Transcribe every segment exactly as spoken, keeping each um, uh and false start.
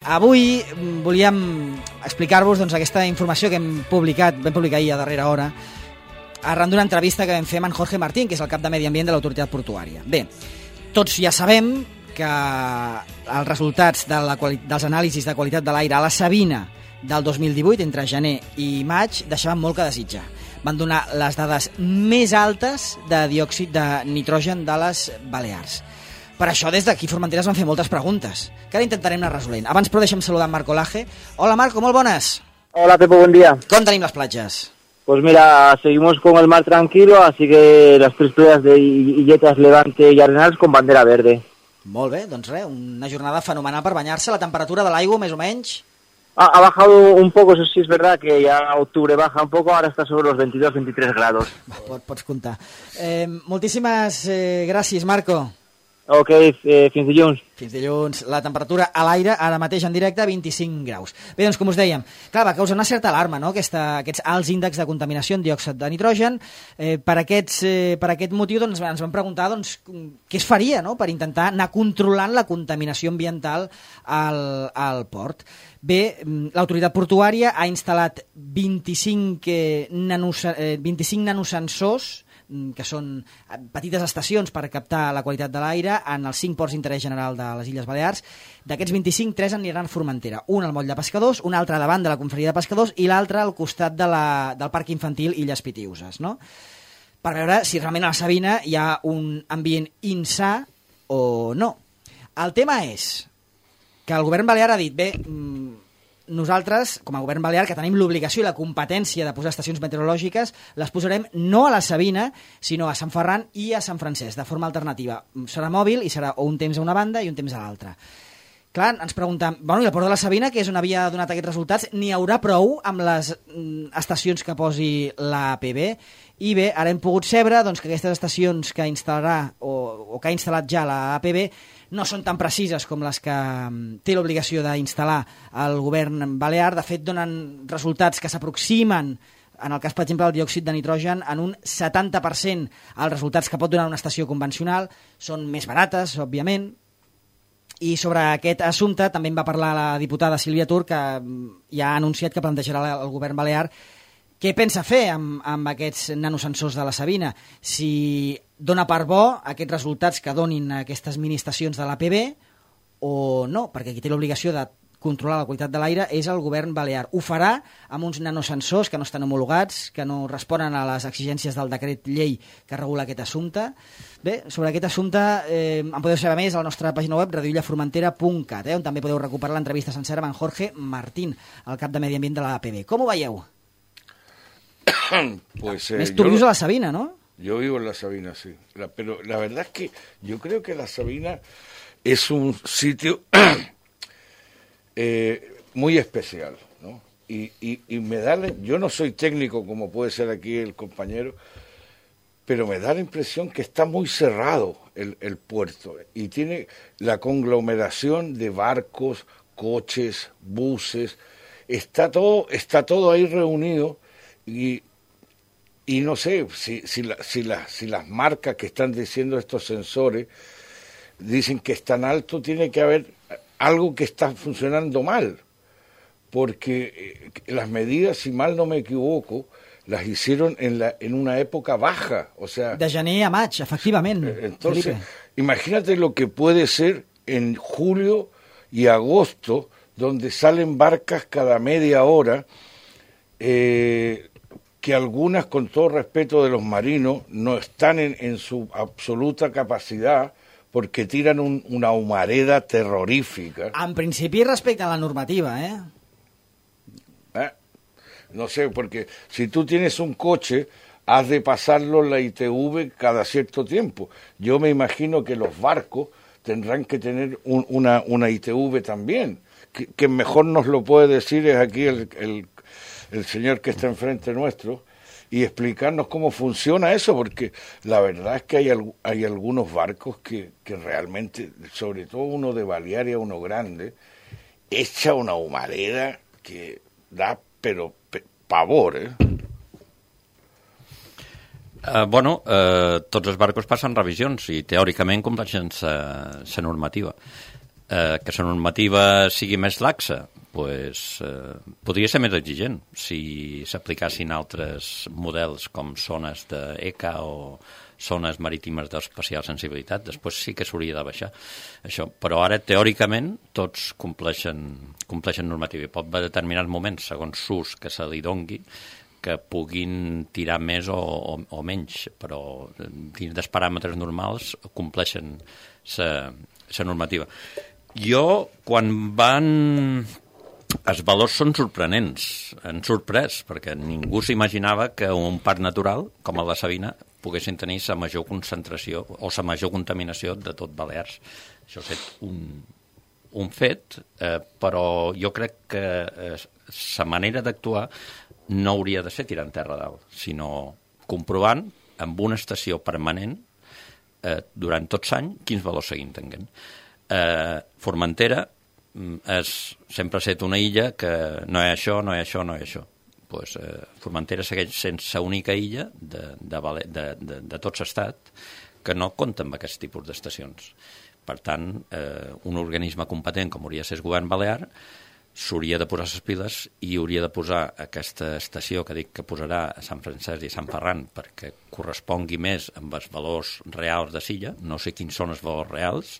Avui volíem explicar-vos doncs, aquesta informació que hem publicat, vam publicar ahir a darrera hora, arran d'una entrevista que vam fer amb en Jorge Martín, que és el cap de Medi Ambient de l'Autoritat Portuària. Bé, tots ja sabem que els resultats de la dels anàlisis de qualitat de l'aire a la Sabina del dos mil divuit, entre gener i maig, deixaven molt que desitjar. Van donar les dades més altes de diòxid de nitrogen de les Balears. Per això, des d'aquí Formenteres van fer moltes preguntes, que ara intentarem anar resolent. Abans, però, deixem saludar en Marco Laje. Hola, Marco, molt bones. Hola, Pepo, buen día. Com tenim les platges? Pues mira, seguimos con el mar tranquilo, así que las tres playas de Illetas, Levante y Arenals con bandera verde. Molt bé, doncs res, una jornada fenomenal per banyar-se. La temperatura de l'aigua, més o menys? Ha, ha bajado un poco, eso sí es verdad, que ya octubre baja un poco, ahora está sobre los veintidós veintitrés grados. Pot, pots comptar. Eh, moltíssimes eh, gràcies, Marco. Ok, eh, fins dilluns. Fins dilluns. La temperatura a l'aire, ara mateix en directe, vint-i-cinc graus. Bé, doncs, com us dèiem, clar, va causar una certa alarma, no?, Aquesta, aquests alts índexs de contaminació en diòxid de nitrogen. Eh, per, aquests, eh, per aquest motiu doncs, ens vam preguntar doncs, què es faria, no?, per intentar anar controlant la contaminació ambiental al, al port. Bé, l'autoritat portuària ha instal·lat vint-i-cinc, eh, nanos, eh, vint-i-cinc nanosensors, que són petites estacions per captar la qualitat de l'aire en els cinc ports d'interès general de les Illes Balears. D'aquests vint-i-cinc, tres aniran a Formentera. Un al moll de Pescadors, un altre davant de la confraria de Pescadors i l'altre al costat de la, del parc infantil Illes Pitiüses, no?, per veure si realment a la Sabina hi ha un ambient insà o no. El tema és que el govern balear ha dit, bé, nosaltres, com a govern balear, que tenim l'obligació i la competència de posar estacions meteorològiques, les posarem no a la Sabina, sinó a Sant Ferran i a Sant Francesc, de forma alternativa. Serà mòbil i serà o un temps a una banda i un temps a l'altra. Clar, ens preguntem, bueno, i la Port de la Sabina, que és on havia donat aquests resultats, n'hi haurà prou amb les estacions que posi l'A P B? I bé, ara hem pogut saber doncs, que aquestes estacions que instal·larà o, o que ha instal·lat ja l'A P B no són tan precises com les que té l'obligació d'instal·lar el govern balear. De fet, donen resultats que s'aproximen, en el cas, per exemple, del diòxid de nitrogen, en un setanta per cent als resultats que pot donar una estació convencional. Són més barates, òbviament. I sobre aquest assumpte també en va parlar la diputada Sílvia Tur, que ja ha anunciat que plantejarà el govern balear què pensa fer amb, amb aquests nanosensors de la Sabina, si dona per bo aquests resultats que donin aquestes miniestacions de l'A P B o no, perquè qui té l'obligació de controlar la qualitat de l'aire és el govern balear. Ho farà amb uns nanosensors que no estan homologats, que no responen a les exigències del decret llei que regula aquest assumpte. Bé, sobre aquest assumpte eh, en podeu saber més a la nostra pàgina web radio illa formentera punt cat, eh, on també podeu recuperar l'entrevista sencera amb en Jorge Martín, el cap de Medi Ambient de l'A P B. Com ho veieu? Pues, eh, Més tú vives a la Sabina, ¿no? Yo vivo en la Sabina, sí. La, pero la verdad es que yo creo que la Sabina es un sitio eh, muy especial, ¿no? Y, y, y me da, yo no soy técnico como puede ser aquí el compañero, pero me da la impresión que está muy cerrado el, el puerto y tiene la conglomeración de barcos, coches, buses, está todo, está todo ahí reunido. Y, y no sé si, si, la, si, la, si las marcas que están diciendo estos sensores dicen que es tan alto, tiene que haber algo que está funcionando mal, porque eh, las medidas, si mal no me equivoco, las hicieron en, la, en una época baja, o sea... De gener a maig, efectivament. Eh, entonces, Felipe, imagínate lo que puede ser en julio y agosto, donde salen barcas cada media hora, eh, que algunas, con todo respeto de los marinos, no están en, en su absoluta capacidad porque tiran un, una humareda terrorífica. En principi respecte a la normativa, ¿eh? ¿Eh? No sé, porque si tú tienes un coche, has de pasarlo la I T V cada cierto tiempo. Yo me imagino que los barcos tendrán que tener un, una, una I T V también. Que, que mejor nos lo puede decir es aquí el... el el señor que está enfrente nuestro, y explicarnos cómo funciona eso, porque la verdad es que hay, hay algunos barcos que, que realmente, sobre todo uno de Balearia, uno grande, echa una humareda que da, pero, pe, pavor, eh? Uh, bueno, uh, tots els barcos passen revisions i teòricament compleixen sa, sa normativa. Eh, que la normativa sigui més laxa, pues, eh, podria ser més exigent si s'aplicassin altres models com zones d'E C A o zones marítimes d'especial sensibilitat. Després sí que s'hauria de baixar això, però ara teòricament tots compleixen, compleixen normativa i pot haver determinats moments, segons l'ús que se li dongui, que puguin tirar més o, o, o menys, però dins dels paràmetres normals compleixen la normativa. Jo, quan van... Els valors són sorprenents, han sorprès, perquè ningú s'imaginava que un parc natural, com el de Savina, poguessin tenir la major concentració o la major contaminació de tot Balears. Això ha estat un, un fet, eh, però jo crec que la eh, manera d'actuar no hauria de ser tirant terra dalt, sinó comprovant amb una estació permanent eh, durant tots l'any quins valors seguim tenint. Eh, Formentera és, sempre ha estat una illa que no hi ha això, no hi ha això, no hi ha això. Pues, eh, Formentera segueix sent l'única illa de, de, de, de, de tot l'estat que no compta amb aquest tipus d'estacions. Per tant, eh, un organisme competent com hauria de ser el govern balear s'hauria de posar les piles i hauria de posar aquesta estació que dic que posarà a Sant Francesc i Sant Ferran perquè correspongui més amb els valors reals de l'illa. No sé quins són els valors reals.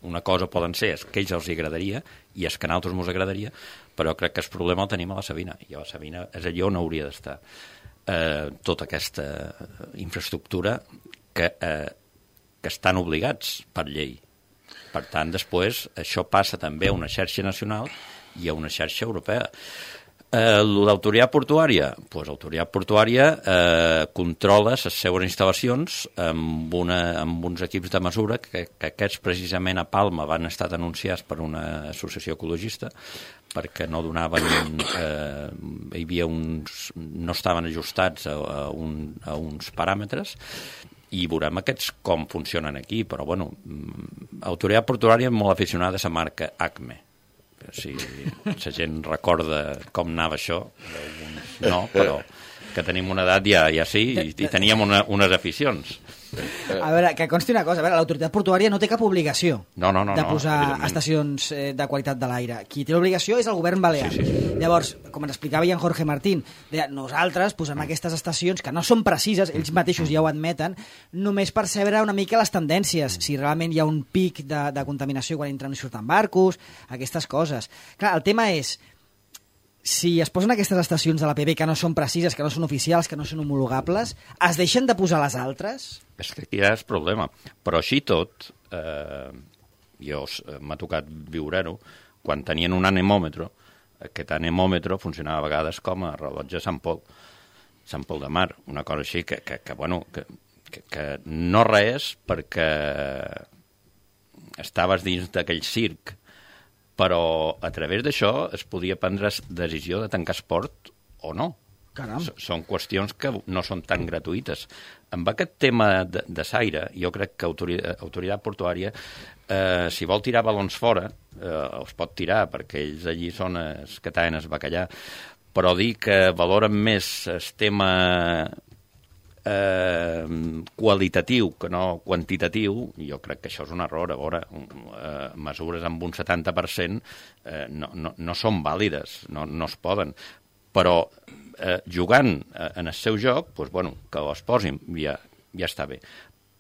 Una cosa poden ser és que ells els agradaria i és que a nosaltres ens agradaria, però crec que el problema el tenim a la Savina, i a la Savina és allà on hauria d'estar eh, tota aquesta infraestructura que, eh, que estan obligats per llei. Per tant, després, això passa també a una xarxa nacional i a una xarxa europea. Eh, L'autoritat portuària? Pues l'autoritat portuària eh, controla les seues instal·lacions amb, una, amb uns equips de mesura que, que aquests precisament a Palma van estar denunciats per una associació ecologista perquè no donaven, eh, hi havia uns, no estaven ajustats a, a, un, a uns paràmetres i veurem aquests com funcionen aquí, però bueno, l'autoritat portuària és molt aficionada a la marca Acme. Si la gent recorda com anava això, no, però que tenim una edat ja, ja sí, i, i teníem una, unes aficions. A veure, que consti una cosa, a veure, l'autoritat portuària no té cap obligació no, no, no, de posar no, estacions eh, de qualitat de l'aire. Qui té l'obligació és el govern balear. Sí, sí. Llavors, com ens explicava ja en Jorge Martín, deia, nosaltres posem aquestes estacions que no són precises, ells mateixos ja ho admeten, només per saber una mica les tendències, si realment hi ha un pic de, de contaminació quan entren i surten barcos, aquestes coses. Clar, el tema és, si es posen aquestes estacions de l'A P B que no són precises, que no són oficials, que no són homologables, es deixen de posar les altres? És que aquí ja és problema. Però així tot, eh, jo m'ha tocat viure-ho, quan tenien un anemòmetre, aquest anemòmetre funcionava a vegades com a rellotge Sant Pol, Sant Pol de Mar, una cosa així que, que, que bueno, que, que, que no res perquè estaves dins d'aquell circ, però a través d'això es podia prendre decisió de tancar esport o no. Caram. Són qüestions que no són tan gratuïtes. Amb aquest tema de, de l'aire, jo crec que autoritat, autoritat portuària, eh, si vol tirar balons fora, eh, els pot tirar, perquè ells allí són els que tallen el bacallà, però dir que valoren més el tema eh, qualitatiu que no quantitatiu, jo crec que això és un error. A veure, eh, mesures amb un setanta per cent eh, no, no, no són vàlides, no, no es poden, però eh, jugant eh, en el seu joc, doncs, bueno, que els posin, ja, ja està bé.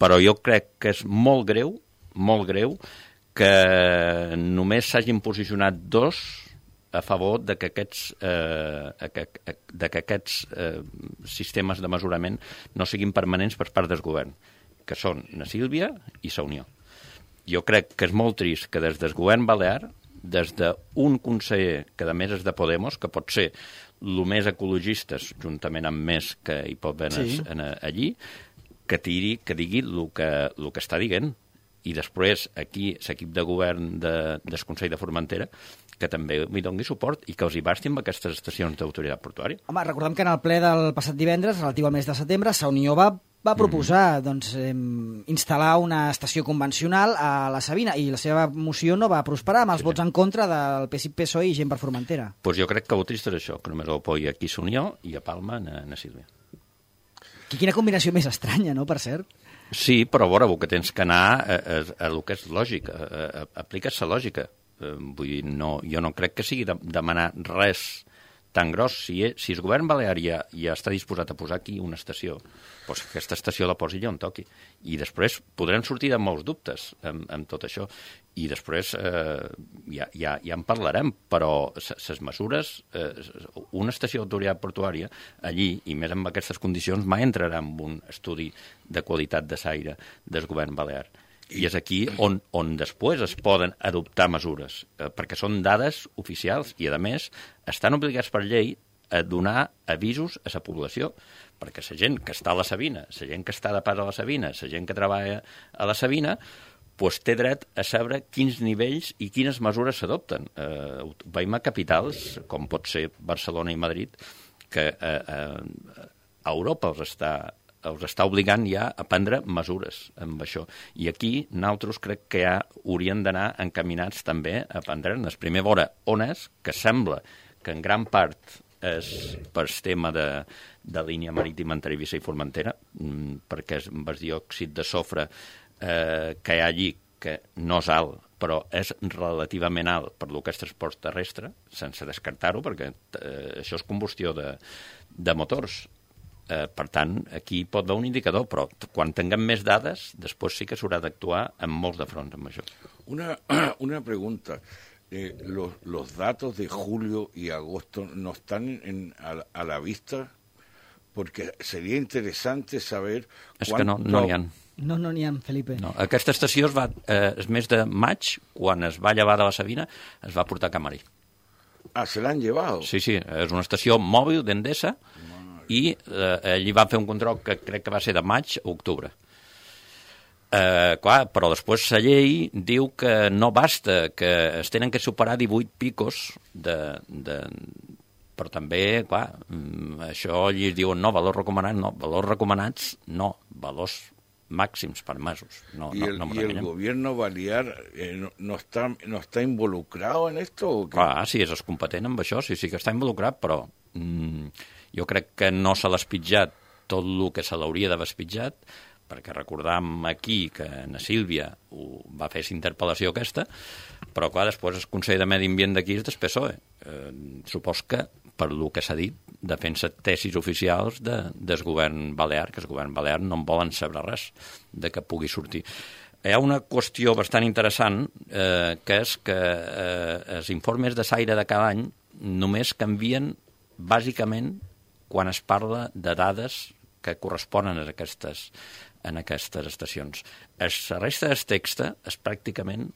Però jo crec que és molt greu, molt greu, que només s'hagin posicionat dos a favor de que aquests, eh, que, de que aquests eh, sistemes de mesurament no siguin permanents per part del govern, que són la Sílvia i la Unió. Jo crec que és molt trist que des del govern balear, des d'un conseller que a més és de Podemos, que pot ser el més ecologistes, juntament amb més que hi pot haver sí. en, allí, que tiri, que digui el que, el que està dient. I després aquí l'equip de govern de, del Consell de Formentera que també li doni suport i que els hi basti amb aquestes estacions d'autoritat portuària. Home, recordem que en el ple del passat divendres, relatiu al mes de setembre, la Unió va, va proposar mm. doncs, eh, instal·lar una estació convencional a la Savina i la seva moció no va prosperar amb els sí. vots en contra del P S I, P S O E i Gent per Formentera. Doncs pues jo crec que el trist és això, que només ho apoya aquí la Unió i a Palma na, na Sílvia. Quina combinació més estranya, no?, per cert. Sí, però a veure, el que tens que anar a, a, a el que és lògic, a, a, a apliques la lògica. Eh, vull dir, no, jo no crec que sigui de, demanar res tan gros. Si, si el govern balear ja, ja està disposat a posar aquí una estació, doncs aquesta estació la posi allà on toqui. I després podrem sortir de molts dubtes amb, amb tot això. I després eh, ja, ja, ja en parlarem, però les mesures, eh, una estació d'autoritat portuària, allí, i més amb aquestes condicions, mai entrarà en un estudi de qualitat de l'aire del govern balear. I és aquí on, on després es poden adoptar mesures, eh, perquè són dades oficials i, a més, estan obligats per llei a donar avisos a la població, perquè la gent que està a la Sabina, la gent que està de pas a la Sabina, la gent que treballa a la Sabina, pues té dret a saber quins nivells i quines mesures s'adopten. Eh, veiem a capitals, com pot ser Barcelona i Madrid, que eh, eh, a Europa els està els està obligant ja a prendre mesures amb això. I aquí nosaltres crec que ja haurien d'anar encaminats també a prendre-ne. Primer, veure on és, que sembla que en gran part és per tema de, de línia marítima entre Eivissa i Formentera, perquè és amb el diòxid de sofre eh, que hi ha allí, que no és alt, però és relativament alt per lo que és transport terrestre, sense descartar-ho, perquè eh, això és combustió de, de motors. Eh, per tant, aquí pot haver un indicador, però quan tinguem més dades, després sí que s'haurà d'actuar en molts de fronts amb això. Una, una pregunta. Eh, los, los datos de julio y agosto no están en, a, a la vista, porque sería interesante saber... És que no n'hi ha. No, no n'hi ha, Felipe. No. Aquesta estació es va, eh, el mes de maig, quan es va llevar de la Sabina, es va portar a Camarí. Ah, se l'han llevado. Sí, sí, és una estació mòbil d'Endesa, i eh, allí van fer un control que crec que va ser de maig a octubre. Eh, clar, però després la llei diu que no basta, que es tenen que superar divuit picos de... de però també, clar, això allí es diuen no, valors recomanats, no, valors recomanats, no, valors màxims permesos. No, ¿Y, no, el, no ¿Y el gobierno balear eh, no, no, está, no está involucrado en esto? ¿O qué? Clar, sí, és competent amb això, sí, sí que està involucrat, però mm, jo crec que no se l'ha espitjat tot el que se l'hauria d'haver espitjat, perquè recordam aquí que na Sílvia ho va fer l'interpel·lació aquesta, però clar, després el Consell de Medi Ambient d'aquí és del P S O E. Eh, supos que, per el que s'ha dit, defensa tesis oficials de, del govern balear, que el govern balear no en volen saber res de que pugui sortir. Hi ha una qüestió bastant interessant, eh, que és que eh, els informes de l'aire de cada any només canvien bàsicament quan es parla de dades que corresponen a aquestes, en aquestes estacions. La resta del text és pràcticament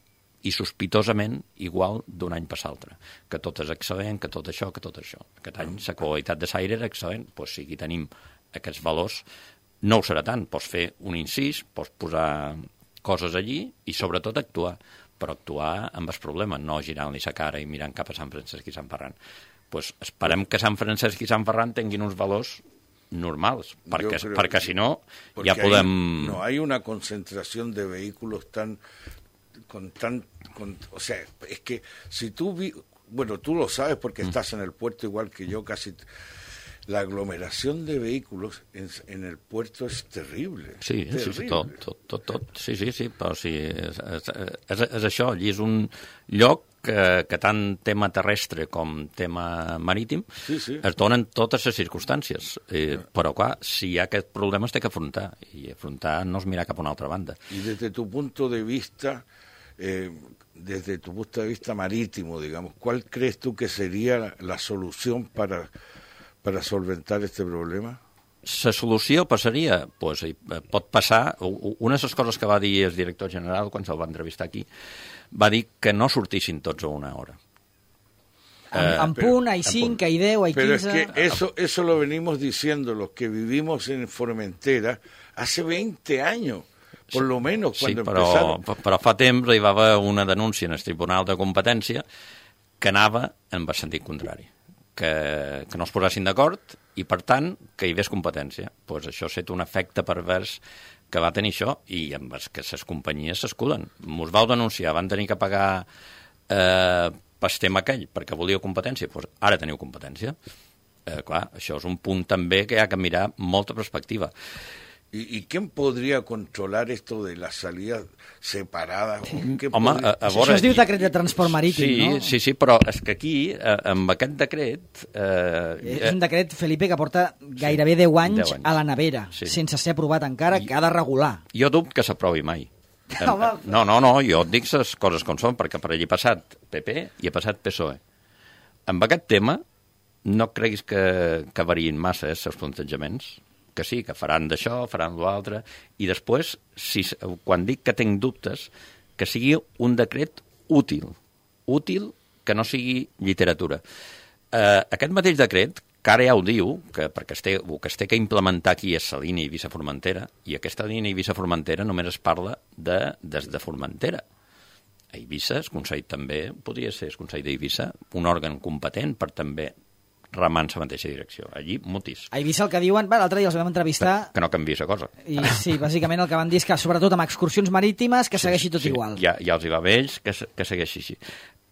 i sospitosament igual d'un any per l'altre, que tot és excel·lent, que tot això, que tot això. Aquest any la qualitat de l'aire era excel·lent, doncs si aquí tenim aquests valors, no ho serà tant, pots fer un incís, pots posar coses allí i sobretot actuar, però actuar amb el problema, no girant-li la cara i mirant cap a Sant Francesc i Sant Ferran. Pues esperem que Sant Francesc i Sant Ferran tinguin uns valors normals, perquè, perquè si no ja podem... Hay, no hay una concentración de vehículos tan... con tan... Con, o sea, es que si tú... Vi, bueno, tú lo sabes porque mm. estás en el puerto igual que yo, casi... La aglomeración de vehículos en, en el puerto es terrible. Sí, terrible. sí, sí, tot, tot, tot, tot. Sí, sí, sí, però sí, és, és, és, és això, allí és un lloc que, que tant tema terrestre com tema marítim sí, sí. es donen totes les circumstàncies. Eh, però, clar, si hi ha aquest problema es té que afrontar, i afrontar no és mirar cap a una altra banda. I des de tu punto de vista, eh, desde tu punto de vista marítimo, digamos, ¿cuál crees tú que sería la, la solución para... para solventar este problema? La solució passaria, pues, pot passar, una de les coses que va dir el director general quan se'l va entrevistar aquí, va dir que no sortissin tots a una hora. En eh, punt, hay cinc, hay deu, hay pero quinze... Pero es que eso, eso lo venimos diciendo los que vivimos en Formentera hace veinte años, por lo menos, cuando sí, però, empezaron... però fa temps hi va haver una denúncia en el Tribunal de Competència que anava en el sentit contrari. Que, que no es posessin d'acord i, per tant, que hi hagués competència. Pues això ha estat un efecte pervers que va tenir això i amb els que les companyies s'escuden. Mos vau denunciar, van tenir que pagar eh, pel tema aquell perquè volíeu competència. Pues ara teniu competència. Eh, clar, això és un punt també que hi ha que mirar molta perspectiva. ¿Y, ¿Y quién podría controlar esto de las salidas separadas? Home, podria... a, a veure... Això es diu decret de transport marítim, sí, no? Sí, sí, però és que aquí, eh, amb aquest decret... Eh, és un decret, Felipe, que porta gairebé deu anys, deu anys. a la nevera, Sí. sense ser aprovat encara, I- que ha de regular. Jo dubto que s'aprovi mai. Home. No, no, no, jo et dic les coses com són, perquè per allí ha passat P P i ha passat P S O E. Amb aquest tema, no creguis que, que variïn massa eh, els plantejaments, que sí, que faran d'això, faran l'altre, i després, si, quan dic que tinc dubtes, que sigui un decret útil, útil que no sigui literatura. Eh, aquest mateix decret, que ara ja ho diu, que perquè es té, el que es té que implementar aquí és la línia Eivissa-Formentera, i aquesta línia Eivissa-Formentera només es parla de, des de Formentera. A Eivissa, el Consell també, podria ser el Consell d'Eivissa, un òrgan competent per també remar en la mateixa direcció. Allí, mutis. A Eivissa el que diuen... Va, l'altre dia els vam entrevistar... Que no canviï la cosa. I sí, bàsicament el que van dir és que, sobretot amb excursions marítimes, que segueixi tot sí, igual. Ja, ja els hi va bé ells que, se- que segueixi així.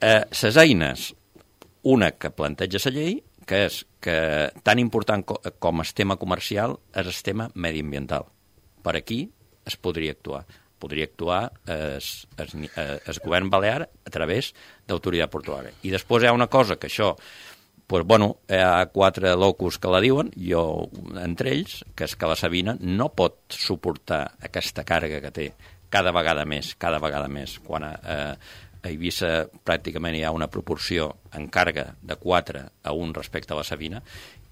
Eh, ses eines, una que planteja la llei, que és que tan important co com el tema comercial és el tema mediambiental. Per aquí es podria actuar. Podria actuar es, es, es govern balear a través d'autoritat portuària. I després hi ha una cosa que això, pues, bueno, hi ha quatre locus que la diuen, jo entre ells, que és que la Sabina no pot suportar aquesta càrrega que té cada vegada més, cada vegada més, quan a, a, a Eivissa pràcticament hi ha una proporció en càrrega de quatre a un respecte a la Sabina,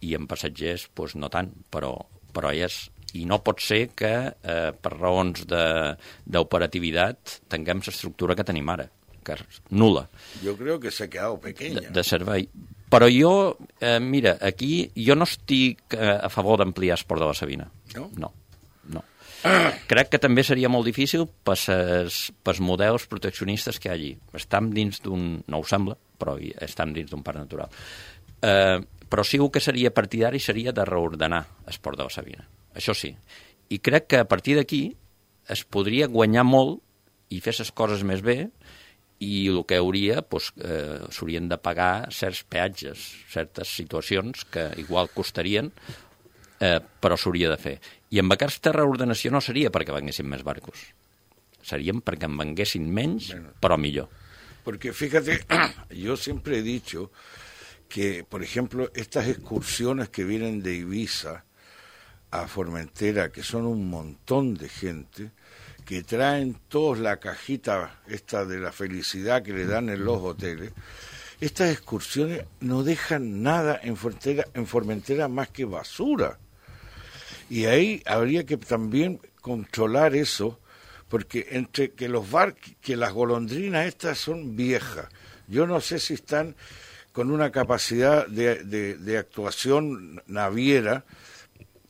i en passatgers pues, no tant, però, però hi és. I no pot ser que eh, per raons d'operativitat tinguem l'estructura que tenim ara, que és nul·la. Yo creo que se ha quedado pequeña. De, de servei. Però jo, eh, mira, aquí jo no estic eh, a favor d'ampliar esport de la Sabina. No? No, no. Crec que també seria molt difícil pels models proteccionistes que hi ha allí. Estam dins d'un... no ho sembla, però hi- estam dins d'un parc natural. Eh, però sí que seria partidari seria de reordenar esport de la Sabina. Això sí. I crec que a partir d'aquí es podria guanyar molt i fer les coses més bé, i el que hauria, doncs, eh, s'haurien de pagar certs peatges, certes situacions que igual costarien, eh, però s'hauria de fer. I amb aquesta reordenació no seria perquè venguessin més barcos. Serien perquè en venguessin menys, però millor. Porque fíjate, yo siempre he dicho que, por ejemplo, estas excursiones que vienen de Ibiza a Formentera, que son un montón de gente, que traen todos la cajita esta de la felicidad que le dan en los hoteles, estas excursiones no dejan nada en Formentera, en Formentera más que basura. Y ahí habría que también controlar eso, porque entre que los bar, que las golondrinas estas son viejas, yo no sé si están con una capacidad de, de, de actuación naviera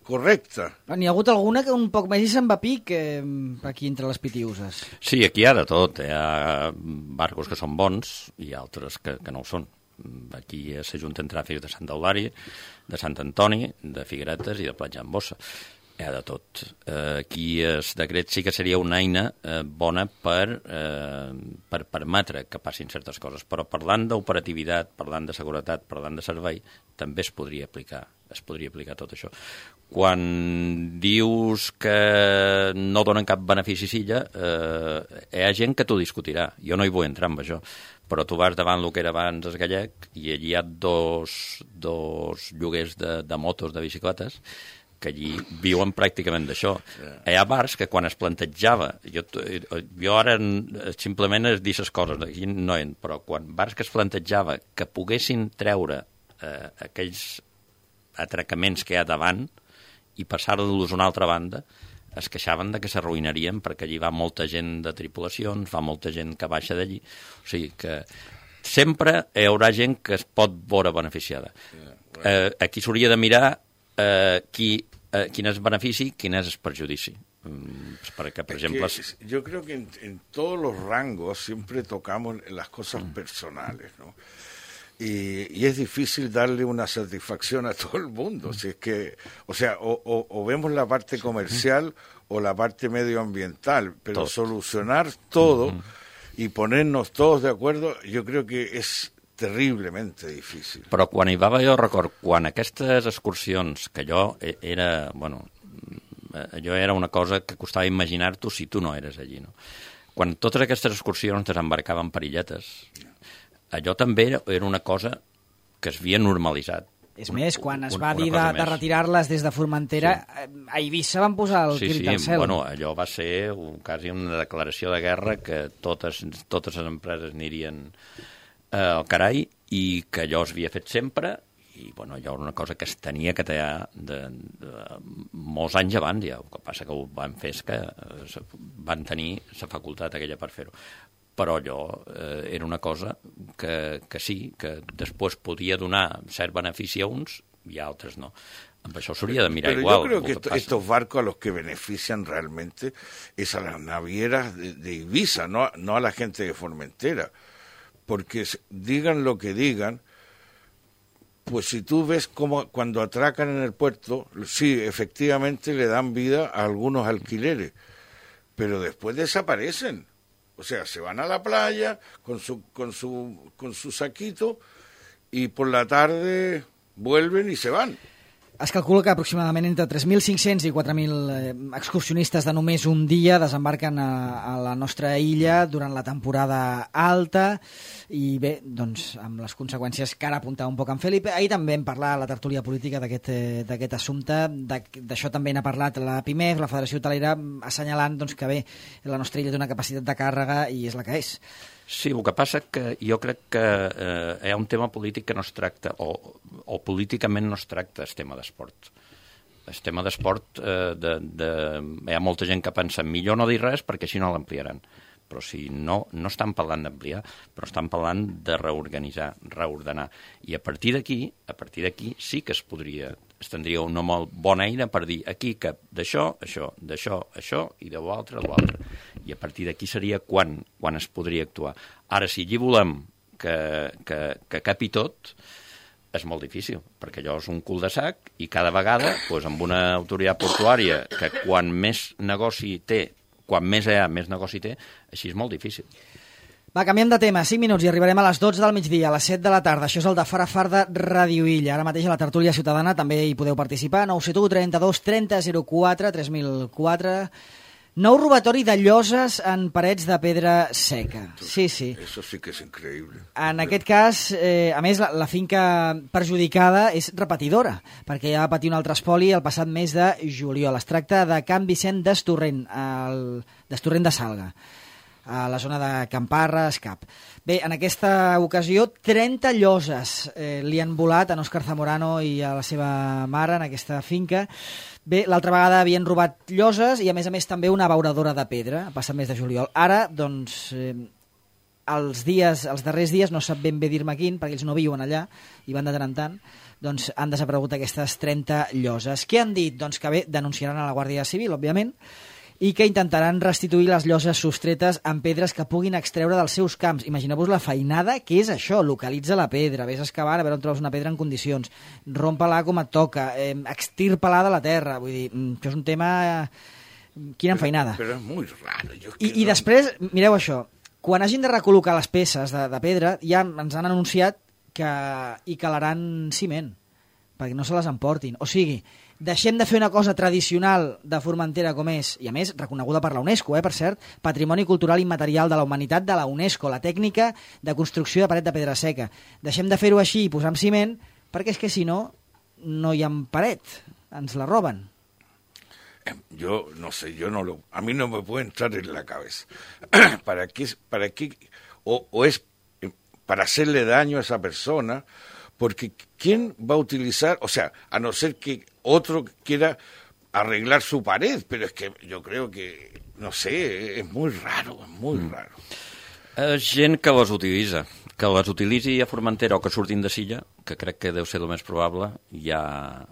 correcta. N'hi ha hagut alguna que un poc més i se'n va pic eh, aquí entre les pitiuses. Sí, aquí hi ha de tot. Hi ha barcos que són bons i altres que, que no ho són. Aquí s'ajunten tràfics de Sant Eulàri, de Sant Antoni, de Figueretes i de Platja en Bossa. Hi ha de tot. Eh, aquí el decret sí que seria una eina eh, bona per, eh, per permetre que passin certes coses, però parlant d'operativitat, parlant de seguretat, parlant de servei, també es podria aplicar, es podria aplicar tot això. Quan dius que no donen cap benefici silla, eh, hi ha gent que t'ho discutirà. Jo no hi vull entrar amb això, però tu vas davant el que era abans el Gallec i allí hi ha dos, dos lloguers de, de motos, de bicicletes, que allí viuen pràcticament d'això. Hi ha bars que quan es plantejava, jo, jo ara simplement es dir les coses, aquí no en, però quan bars que es plantejava que poguessin treure eh, aquells atracaments que hi ha davant i passar-los a una altra banda, es queixaven de que s'arruïnarien perquè allí va molta gent de tripulacions, va molta gent que baixa d'allí, o sigui que sempre hi haurà gent que es pot veure beneficiada. Eh, aquí s'hauria de mirar eh, qui, eh, quin és el benefici, quin és el perjudici. Mm, perquè, per Es exemple... que yo creo que en, en todos los rangos siempre tocamos las cosas mm. personales, ¿no? Y, y es difícil darle una satisfacción a todo el mundo. Si es que, o sea, o, o, o vemos la parte comercial o la parte medioambiental, pero todo. Solucionar todo uh-huh. y ponernos todos de acuerdo, yo creo que es terriblemente difícil. Però quan hi va haver, jo record, quan aquestes excursions, que jo era, bueno, allò era una cosa que costava imaginar-t'ho si tu no eres allí, no? Quan totes aquestes excursions desembarcaven per illetes, allò també era una cosa que es havia normalitzat. És més, quan es va dir de, de retirar-les des de Formentera, sí. a Eivissa van posar el sí, crit sí, al cel. Bueno, allò va ser un, quasi una declaració de guerra que totes, totes les empreses anirien eh, al carai i que allò es havia fet sempre i bueno, allò era una cosa que es tenia que tallar de, de molts anys abans ja. El que passa que ho van fer és que eh, van tenir la facultat aquella per fer-ho. Però allò eh, era una cosa que, que sí, que després podia donar cert benefici a uns i a altres no. Amb això s'hauria de mirar Pero igual. Yo creo que esto, estos barcos a los que benefician realmente es a las navieras de, de Ibiza, no, no a la gente de Formentera. Porque digan lo que digan, pues si tú ves cómo cuando atracan en el puerto, sí, efectivamente le dan vida a algunos alquileres, pero después desaparecen. O sea, se van a la playa con su, con su, con su saquito y por la tarde vuelven y se van. Es calcula que aproximadament entre tres mil cinc-cents i quatre mil eh, excursionistes de només un dia desembarquen a, a la nostra illa durant la temporada alta i bé, doncs, amb les conseqüències que ara apuntava un poc en Felipe. Ahir també hem parlat a la tertúlia política d'aquest eh, d'aquest assumpte, d'això també n'ha parlat la PIMEF, la Federació Hotelera, assenyalant doncs, que bé, la nostra illa té una capacitat de càrrega i és la que és. Sí, el que passa que jo crec que eh, hi ha un tema polític que no es tracta, o, o políticament no es tracta el tema d'esport. El tema d'esport, eh, de, de, hi ha molta gent que pensa millor no dir res perquè així no l'ampliaran. Però si no, no estan parlant d'ampliar, però estan parlant de reorganitzar, reordenar. I a partir d'aquí, a partir d'aquí sí que es podria, es tindria una molt bona eina per dir aquí que d'això, això, d'això, això, i de l'altre, l'altre. I a partir d'aquí seria quan, quan es podria actuar. Ara, si allí volem que, que, que capi tot, és molt difícil, perquè allò és un cul de sac i cada vegada, doncs, amb una autoritat portuària que quan més negoci té, quan més hi ha, més negoci té, així és molt difícil. Va, canviem de tema, cinc minuts i arribarem a les dotze del migdia, a les set de la tarda. Això és el de Fara Far de Ràdio Illa. Ara mateix a la tertúlia ciutadana també hi podeu participar. nou set u, trenta-dos, trenta, zero quatre, tres mil quatre. Nou robatori de lloses en parets de pedra seca. Sí, sí. Eso sí que és increïble. En aquest cas, eh, a més, la, la finca perjudicada és repetidora, perquè ja va patir un altre espoli el passat mes de juliol. Es tracta de Can Vicent d'Estorrent, el... d'Estorrent de Salga, a la zona de Camparra, Escap. Bé, en aquesta ocasió, trenta lloses eh, li han volat a Òscar Zamorano i a la seva mare en aquesta finca. Bé, l'altra vegada havien robat lloses i, a més a més, també una abeuradora de pedra, a passat mes de juliol. Ara, doncs, eh, els dies, els darrers dies, no sap ben bé dir-me quin, perquè ells no viuen allà i van de tant en tant, doncs han desaparegut aquestes trenta lloses. Què han dit? Doncs que bé, denunciaran a la Guàrdia Civil, òbviament, i que intentaran restituir les lloses sostretes amb pedres que puguin extreure dels seus camps. Imagineu-vos la feinada que és això, localitza la pedra, vés a excavar a veure on trobes una pedra en condicions, rompa-la com et toca, eh, extirpa-la de la terra, vull dir, això és un tema... Quina feinada. Però és molt raro. Jo I, I després, mireu això, quan hagin de recol·locar les peces de, de pedra, ja ens han anunciat que hi calaran ciment, perquè no se les emportin. O sigui, deixem de fer una cosa tradicional de Formentera com és, i a més reconeguda per la UNESCO, eh, per cert, Patrimoni Cultural Immaterial de la Humanitat de la UNESCO, la tècnica de construcció de paret de pedra seca. Deixem de fer-ho així i posar amb ciment, perquè és que si no, no hi ha paret, ens la roben. Yo no sé, yo no lo, a mí no me puede entrar en la cabeza. ¿Para qué, para qué, o, o es para hacerle daño a esa persona? Porque ¿quién va a utilizar, o sea, a no ser que otro quiera arreglar su pared, pero es que yo creo que, no sé, es muy raro, es muy mm. raro. És gent que les utilitza, que les utilitzi a Formentera o que surtin de Silla, que crec que deu ser el més probable, ja,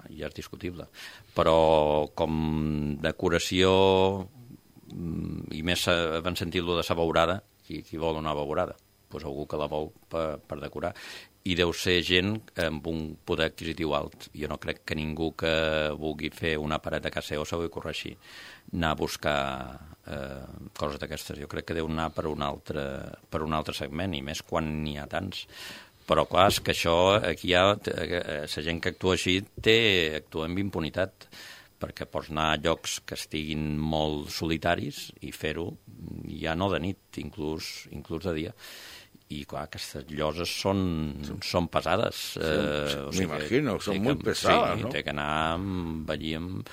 ja és discutible. Però com decoració, i més havent sentit-lo de sa beurada, qui, qui vol una beurada? Pues algú que la vol per, per decorar. I deu ser gent amb un poder adquisitiu alt. Jo no crec que ningú que vulgui fer una paret a casa seva se ho corregir, anar a buscar eh, coses d'aquestes. Jo crec que deu anar per un altre, per un altre segment, i més quan n'hi ha tants. Però clar, és que això, aquí hi ha, la gent que actua així té, actua amb impunitat, perquè pots anar a llocs que estiguin molt solitaris i fer-ho ja no de nit, inclús, inclús de dia. I, clar, aquestes lloses són, són pesades. Sí, eh, o sigui, m'imagino, són molt pesades, sí, no? té que anar amb, allí amb,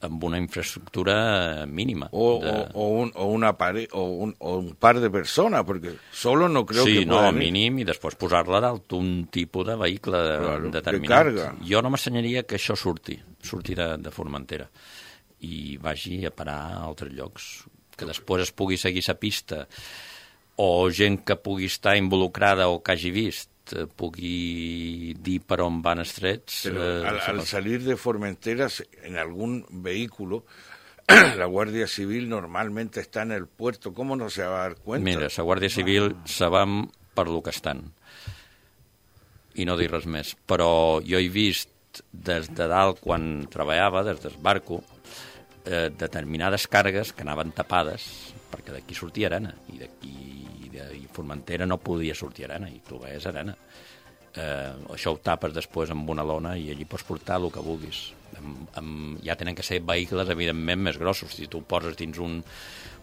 amb una infraestructura mínima. O, de... o, o, un, o, una pare, o, un, o un par de persones, perquè solo no creo sí, que no, puedan ir. mínim, i després posar-la dalt un tipus de vehicle Claro, determinat. de carga. Jo no m'assenyaria que això surti, surti de, de Formentera i vagi a parar a altres llocs, que després es pugui seguir la pista, o gent que pugui estar involucrada o que hagi vist pugui dir per on van els trets. Pero eh, al, al salir de Formentera, en algún vehículo, la Guardia Civil normalmente está en el puerto. ¿Cómo no se va a dar cuenta? Mira, la Guàrdia Civil se van per lo que estan. I no dir res més. Però jo he vist des de dalt, quan treballava, des del barco, eh, determinades càrregues que anaven tapades, perquè d'aquí sortia arena, i d'aquí i Formentera no podia sortir arena, i tu veies arena. Eh, això ho tapes després amb una lona i allí pots portar el que vulguis. Amb, amb, ja tenen que ser vehicles, evidentment, més grossos. Si tu ho poses dins un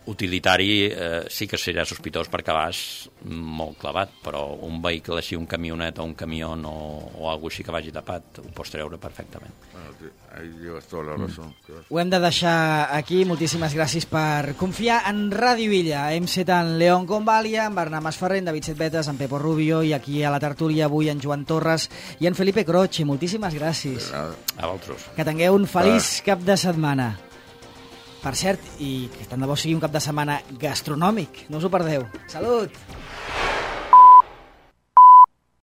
utilitari, eh, sí que serà sospitós perquè vas molt clavat, però un vehicle així, un camionet o un camió o, o alguna així que vagi tapat, ho pots treure perfectament. Bueno, ahí llevas toda la razón. Mm. Ho hem de deixar aquí. Moltíssimes gràcies per confiar en Ràdio Illa. Hem set en León Convalia, en Bernat Masferrer, en David Setbetes, en Pepo Rubio, i aquí a la tertúlia avui en Joan Torres i en Felipe Croce. Moltíssimes gràcies. A vosaltres. Que tingueu un feliç cap de setmana. Per cert, i que tant de bo sigui un cap de setmana gastronòmic. No us ho perdeu. Salut!